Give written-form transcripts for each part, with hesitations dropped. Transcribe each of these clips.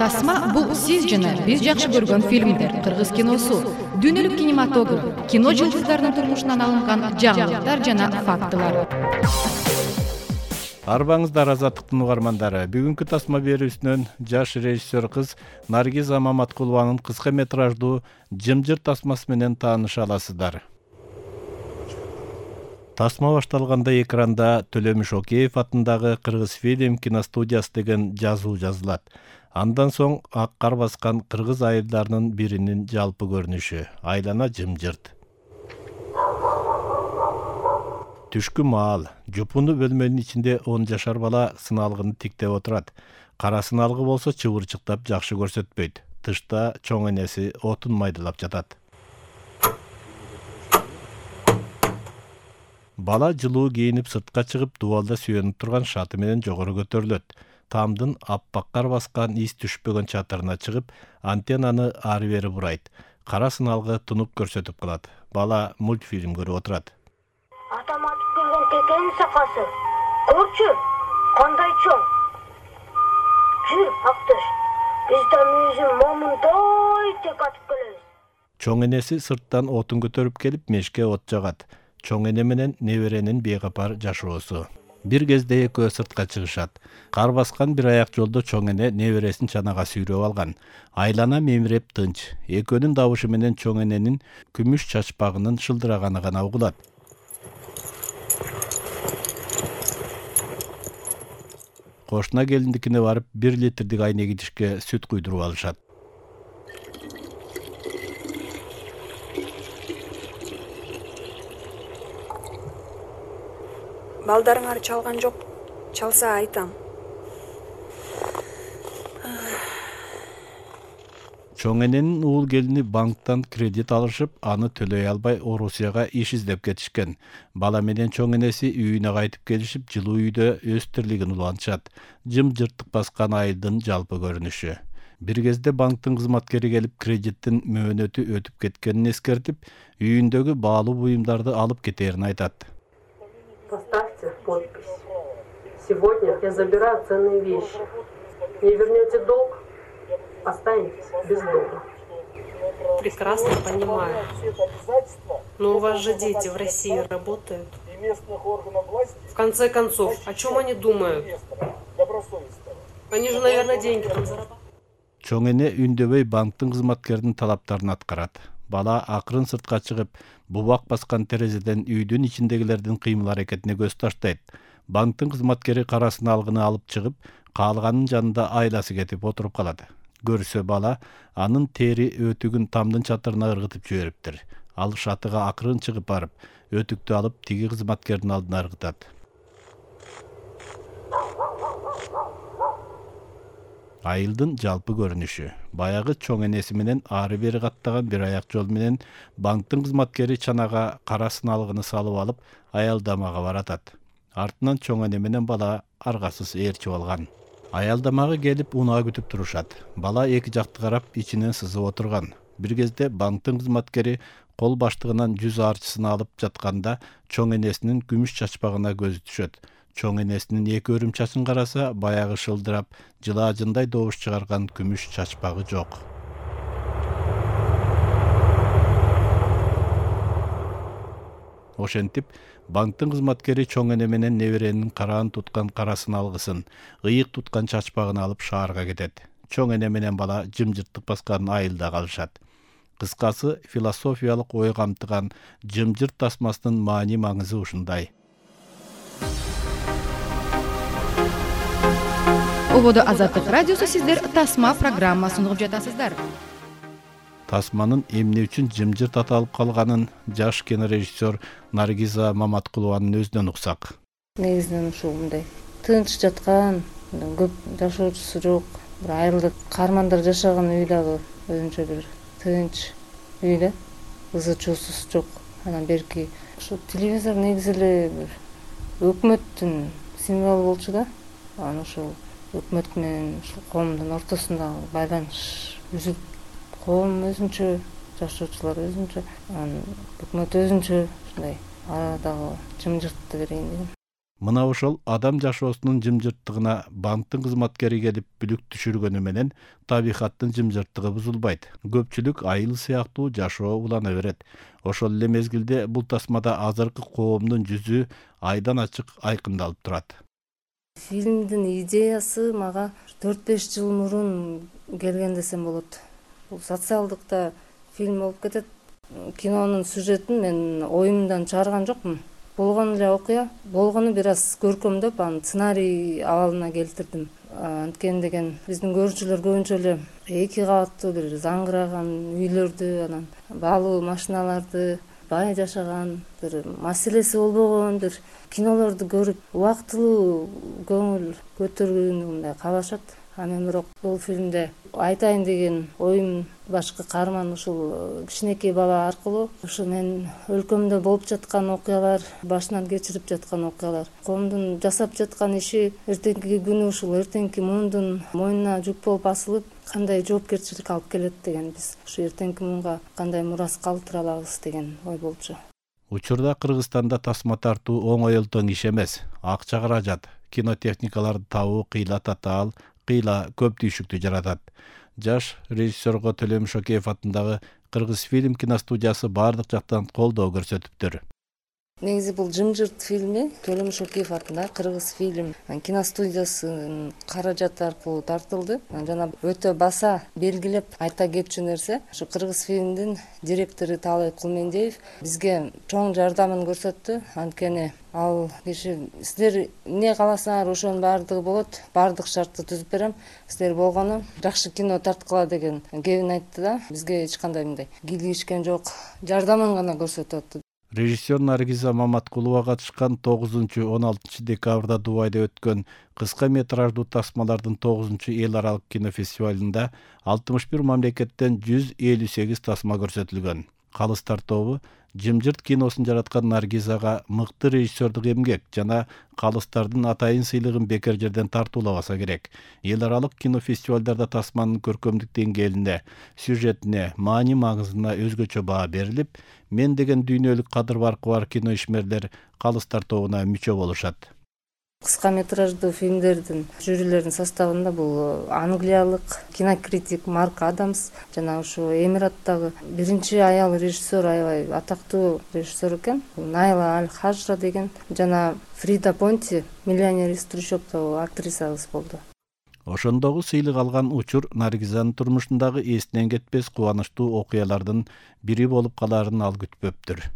Тасма бул сиз жана биз жакшы көргөн фильмдер, кыргыз киносу, дүйнөлүк кинематограф, кино жылдыздарынын турмушунан алынган жаңылыктар жана фактылар. Арбаңыздар Азаттыктын угармандары. Бүгүнкү тасма берүүсүнөн жаш режиссер кыз Наргиза Маматкулованын кыска метраждуу «Жымжыр» тасмасы менен тааныша аласыздар. Тасма башталганда экранда Төлөмүш Океев атындагы Кыргыз фильм киностудиясы деген жазуу жазылат. Андан соң ак кар баскан кыргыз айылдарынын биринин жалпы көрүнүшү айлана жымжырт. Түшкү маал, жупуну бөлмөнүн ичинде 10 жашар бала сыналгыны тиктеп отурат. Кара сыналгы болсо чыбырчыктап жакшы көрсөтпөйт. Тышта чоң энеси отун майдалап жатат. Бала жылуу кийинип сыртка чыгып, дубалда сүйөнүп турган шаты менен жогору көтөрүлөт. Тамдын аппак кар баскан из түшпөгөн чатырына чыгып, антеннаны ары-бери бурайт. Кара сыналгы тунуп көрсөтүп калат. Бала мультфильм көрүп отурат. Атам атып келген текенин сакасы. Көрчү, кандай чоң. Жүр, Актош. Биз да мүйүзүн момундай тек атып келебиз. Чоң энеси сырттан отун көтөрүп келип, мешке от жагат. Чоң эне менен неберенин бейкапар жашоосу. Бир кезде экөө сыртка чыгышат. Кар баскан бир аяк жолдо чоң эне небересин чанага сүйрөп алган. Айлана мемиреп тынч. Экөөнүн добушу менен чоң эненин күмүш чачпагынын шылдыраганы гана угулат. Кошуна келиндикине барып 1 литрдик айнек идишке сүт куйдуруп алышат. Балдарыңар чалган жок. Чалса айтам. Чоң эненин уул келини банктан кредит алышып, аны төлөй албай Орусияга иш издеп кетишкен. Бала менен чоң энеси үйүнө кайтып келишип, жылуу үйдө өз тирлигин улантышат. Жымжырттык баскан айылдын жалпы көрүнүшү. Бир кезде банктын кызматкери келип, кредиттин мөөнөтү өтүп кеткенин эскертип, үйүндөгү баалуу буюмдарды алып кетерин айтат. Поставьте подпись. Сегодня я забираю ценные вещи. Не вернете долг, останетесь без долга. Прекрасно понимаю. Но у вас же дети в России работают. В конце концов, о чем они думают? Они же, наверное, деньги там зарабатывают. Чоң эне үндөбөй банктын кызматкеринин талаптарын аткарат. Бала акырын сыртка чыгып, бубак баскан терезеден үйдүн ичиндегилердин кыймыл аракетине көз таштайт. Банктын кызматкери кара сыналгыны алып чыгып, каалганын жанында айласы кетип отуруп калат. Көрсө бала анын тери өтүгүн тамдын чатырына ыргытып жибериптир. Ал шатыга акырын чыгып барып, өтүктү алып тиги кызматкердин алдына ыргытат. Айылдын жалпы көрүнүшү. Баягы чоң энеси менен ары-бери каттаган бир аяк жол менен банктын кызматкери чанага кара сыналгыны салып алып, аялдамага баратат. Артынан чоң эне менен бала аргасыз ээрчип алган. Аялдамага келип унаа күтүп турушат. Бала эки жакты карап, ичинен сызып отурган. Бир кезде банктын кызматкери кол баштыгынан 100 арчысын алып жатканда чоң энесинин күмүш чачпагына көзү түшөт. Чоң энесинин эки өрүм чачын караса, баягы шылдырап, жылаажындай добуш чыгарган күмүш чачпагы жок. Ошентип, банктын кызматкери чоң эне менен неберенин караан туткан кара сыналгысын, ыйык туткан чачпагын алып шаарга кетет. Чоң эне менен бала жымжырттык баскан айылда калышат. Кыскасы, философиялык ой камтыган Жымжырт тасмасынын маани маңызы ушундай. Ободо Азаттык радиосу сиздер тасма программасын угуп жатасыздар. Тасманын эмне үчүн жымжырт аталып калганын жаш кинорежиссер Наргиза Маматкулованын өзүнөн уксак. Негизинен ушул мындай тынч жаткан, көп жашоочусу жок, бир айылда каармандар жашаган үй дагы өзүнчө бир тынч үй да, ызы чуусуз жок. Анан берки ошо телевизор негизи эле бир өкмөттүн символу болчу да. Анан ошол өкмөт менен ушул коомдун ортосундагы байланыш үзүлүп, коом өзүнчө, жашоочулар өзүнчө, анан өкмөт өзүнчө ушундай арадагы жымжыртты берейин дегем. Мына ошол адам жашоосунун жымжырттыгына банктын кызматкери келип бүлүк түшүргөнү менен табигаттын жымжырттыгы бузулбайт. Көпчүлүк айыл сыяктуу жашоо улана берет. Ошол эле мезгилде бул тасмада азыркы коомдун жүзү айдан ачык айкындалып турат. Фильмдин идеясы мага 4-5 жыл мурун келген десем болот. Бул социалдыкта фильм болуп кетет. Кинонун сюжетин мен оюмдан чыгарган жокмун. Болгон эле окуя, болгону бир аз көркөмдөп, анын сценарий абалына келтирдим. Анткени деген биздин көрүүчүлөр көбүнчө эле 2 кабаттуу бир заңгыраган үйлөрдү, анан баалуу машиналарды, бай жашаган, бир маселеси болбогон бир кинолорду көрүп, убактылуу көңүл көтөрүүнү мындай каалашат. Мен бирок бул фильмде айтайын деген оюм башкы каарман ушул кичинекей бала аркылуу ушу мен өлкөмдө болуп жаткан окуялар, башынан кечирип жаткан окуялар, коомдун жасап жаткан иши эртеңки күнү ушул эртеңки муундун мойнуна жүк болуп асылып кандай жоопкерчилик алып келет деген, биз ушу эртеңки муунга кандай мурас калтыра алабыз деген ой болчу. Учурда Кыргызстанда тасма тартуу оңой элтең иш эмес. Акча каражат, кинотехникаларды табуу кыйла татаал, кыйла көп түйшүктү жаратат. Жаш режиссерго Төлөм Шокеев атындагы Кыргыз фильм киностудиясы бардык жактан колдоо көрсөтүптүр. Негизи бул жымжырт фильми Төлөм Шокеев атындагы Кыргыз фильм киностудиясынын каражаты аркылуу тартылды. Жана өтө баса белгилеп айта кетчү нерсе, ушу Кыргыз фильмдин директору Таалай Кулмендиев бизге чоң жардамын көрсөттү. Анткени ал киши силер эмне кааласаңар ошонун баардыгы болот, баардык шартты түзүп берем, силер болгону жакшы кино тарткыла деген кебин айтты да, бизге эч кандай мындай кийлигишкен жок, жардамын гана көрсөтүп атты. Режиссер Наргиза Маматкулова катышкан 9-16 декабрда Дубайда өткөн кыска метраждуу тасмалардын 9-эл аралык кинофестивалында 61 мамлекеттен 158 тасма көрсөтүлгөн. Калыстар тобу жымжырт киносун жараткан Наргизага мыкты режиссердук эмгек жана калыстардын атайын сыйлыгын бекер жерден тартуулабаса керек. Эл аралык кинофестивалдарда тасманын көркөмдүк деңгээлине, сюжетине, маани маңызына өзгөчө баа берилип, мен деген дүйнөлүк кадыр баркы бар кино ишмерлер калыстар тобуна мүчө болушат. Кыска метраждуу фильмдердин жюрилеринин составында бул англиялык кинокритик Марк Адамс жана ушу Эмираттагы биринчи аял режиссер, аябай атактуу режиссер экен, Найла Аль-Хажра деген, жана Фрида Понти, миллионер из трущобдогу актрисабыз болду. Ошондогу сыйлык алган учур Наргизанын турмушундагы эстен кетпес кубанычтуу окуялардын бири болуп калаарын ал күтпөптүр.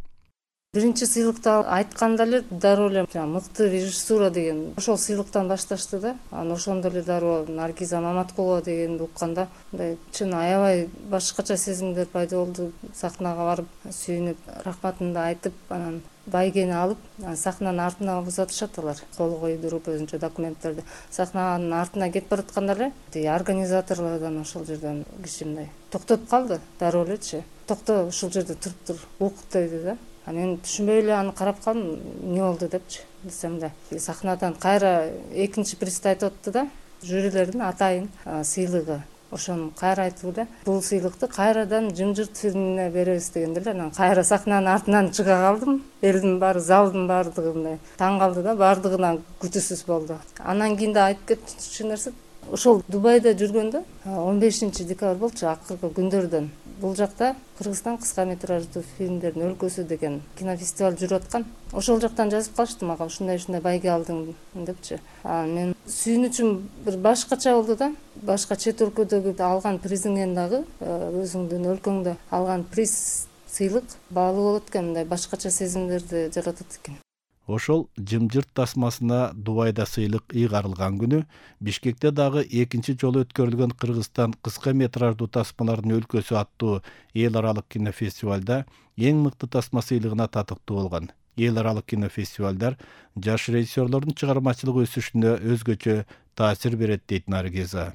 Биринчи сыйлыкты айтканда эле дароо эле мыкты режиссура деген ошол сыйлыктан башташты да. Ошондо эле дароо Наргиза Маматкулова дегенди укканда мындай чын аябай башкача сезимдер пайда болду. Сахнага барып сүйүнүп, рахматымды айтып, анан байгени алып, сахнанын артына узатышат алар. Кол койдуруп өзүнчө документтерди. Сахнанын артына кетип баратканда эле организаторлордон ошол жерден киши мындай токтоп калды, дароо элечи. Токто, ушул жерде туруп тур, укуп деди да. Мен түшүнбөй эле аны карап калдым, эмне болду депчи. Десем да, сахнадан кайра экинчи присти айтып атты да, жюрилердин атайын сыйлыгы. Ошону кайра айтып эле, бул сыйлыкты кайрадан жымжырт фильмине беребиз дегенде эле, анан кайра сахнанын артынан чыга калдым. Элдин баары, залдын баардыгы мындай таң калды да, баардыгынан күтүүсүз болду. Анан кийин да айтып кетчү нерсе, ошол Дубайда жүргөндө 15 декабрь болчу, акыркы күндөрдөн. Бул жакта Кыргызстан кыска метраждуу фильмдердин өлкөсү деген кинофестиваль жүрүп аткан. Ошол жактан жазып калышты мага, ушундай байге алдың депчи. Мен сүйүнүчүм бир башкача болду да. Башка чет өлкөдөгү алган призиңен дагы өзүңдүн өлкөңдө алган приз, сыйлык баалуу болот экен, мындай башкача сезимдерди жаратат экен. Ошол жымжырт тасмасына Дубайда сыйлык ыйгарылган күнү Бишкекте дагы экинчи жолу өткөрүлгөн Кыргызстан кыска метраждуу тасмалардын өлкөсү аттуу эл аралык кинофестивалда эң мыкты тасма сыйлыгына татыктуу болгон. Эл аралык кинофестивалдар жаш режиссерлордун чыгармачылык өсүшүнө өзгөчө таасир берет дейт Наргиза.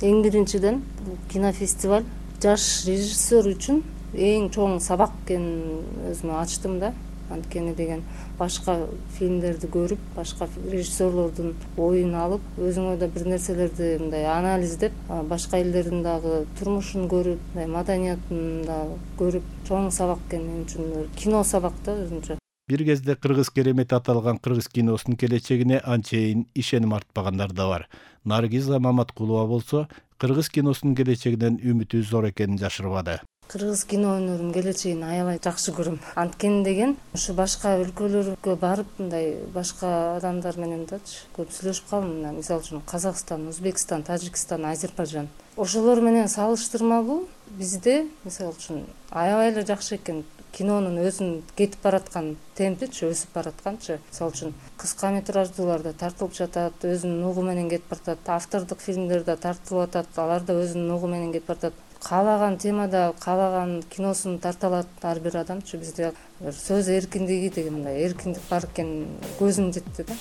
Эң биринчиден бул кинофестиваль жаш режиссер үчүн эң чоң сабак экенин өзүмө ачтым да. Анткени деген башка фильмдерди көрүп, башка режиссерлордун оюн алып, өзүңө да бир нерселерди мындай анализдеп, башка элдердин дагы турмушун көрүп, маданиятын да көрүп, чоң сабак экен мен үчүн, кино сабак да өзүнчө. Бир кезде кыргыз керемети аталган кыргыз киносунун келечегине анчейин ишеним артпагандар да бар. Наргиза Маматкулова болсо кыргыз киносунун келечегинен үмүтү зор экенин жашырбады. Кыргыз кино өнөрүнүн келечегин аябай жакшы көрөм. Анткени деген ушу башка өлкөлөргө барып мындай башка адамдар менен дачы көп сүйлөшүп калдым. Мисалы үчүн Казакстан, Өзбекстан, Тажикстан, Азербайжан. Ошолор менен салыштырмалуу бизде мисалы үчүн аябай эле жакшы экен. Кинонун өзүнүн кетип бараткан темпичи, өсүп баратканчы. Мисалы үчүн кыска метраждууларда тартылып жатат, өзүнүн угу менен кетип баратат. Автордук фильмдерде тартылып атат, алар да өзүнүн угу менен кетип баратат. Каалаган темада каалаган киносун тарта алат ар бир адамчы. Бизде сөз эркиндиги деген мындай эркиндик бар экен көзүм жетти да.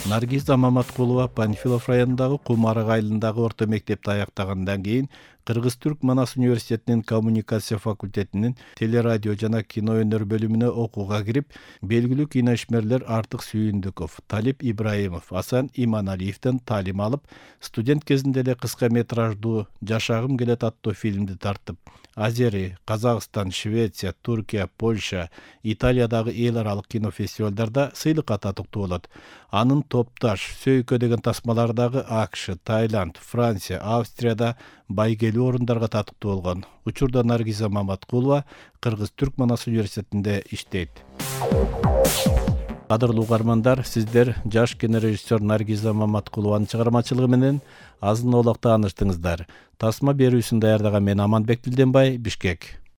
Наргиза Маматкулова Панфилов районундагы Кумарык айылындагы орто мектепти аяктагандан кийин Кыргыз-Түрк Манас университетинин коммуникация факультетинин телерадио жана кино өнөр бөлүмүнө окууга кирип, белгилүү киноишмерлер Артык Сүйүндүков, Талип Ибраимов, Асан Иманалиевден таалим алып, студент кезинде эле кыска метраждуу Жашагым келет аттуу фильмди тартып, Азери, Казакстан, Швеция, Туркия, Польша, Италиядагы эл аралык кинофестивалдарда сыйлыкка татыктуу болот. Анын Топташ, Сөйкө деген тасмалардагы АКШ, Таиланд, Франция, Австрияда байгелүү орундарга татыктуу болгон. Учурда Наргиза Маматкулова Кыргыз-Түрк Манас университетинде иштейт. Кадырлуу угармандар, сиздер жаш кинорежиссер Наргиза Маматкулованын чыгармачылыгы менен азын олак тааныштыңыздар. Тасма берүүсүн даярдаган мен Аманбек Билденбай, Бишкек.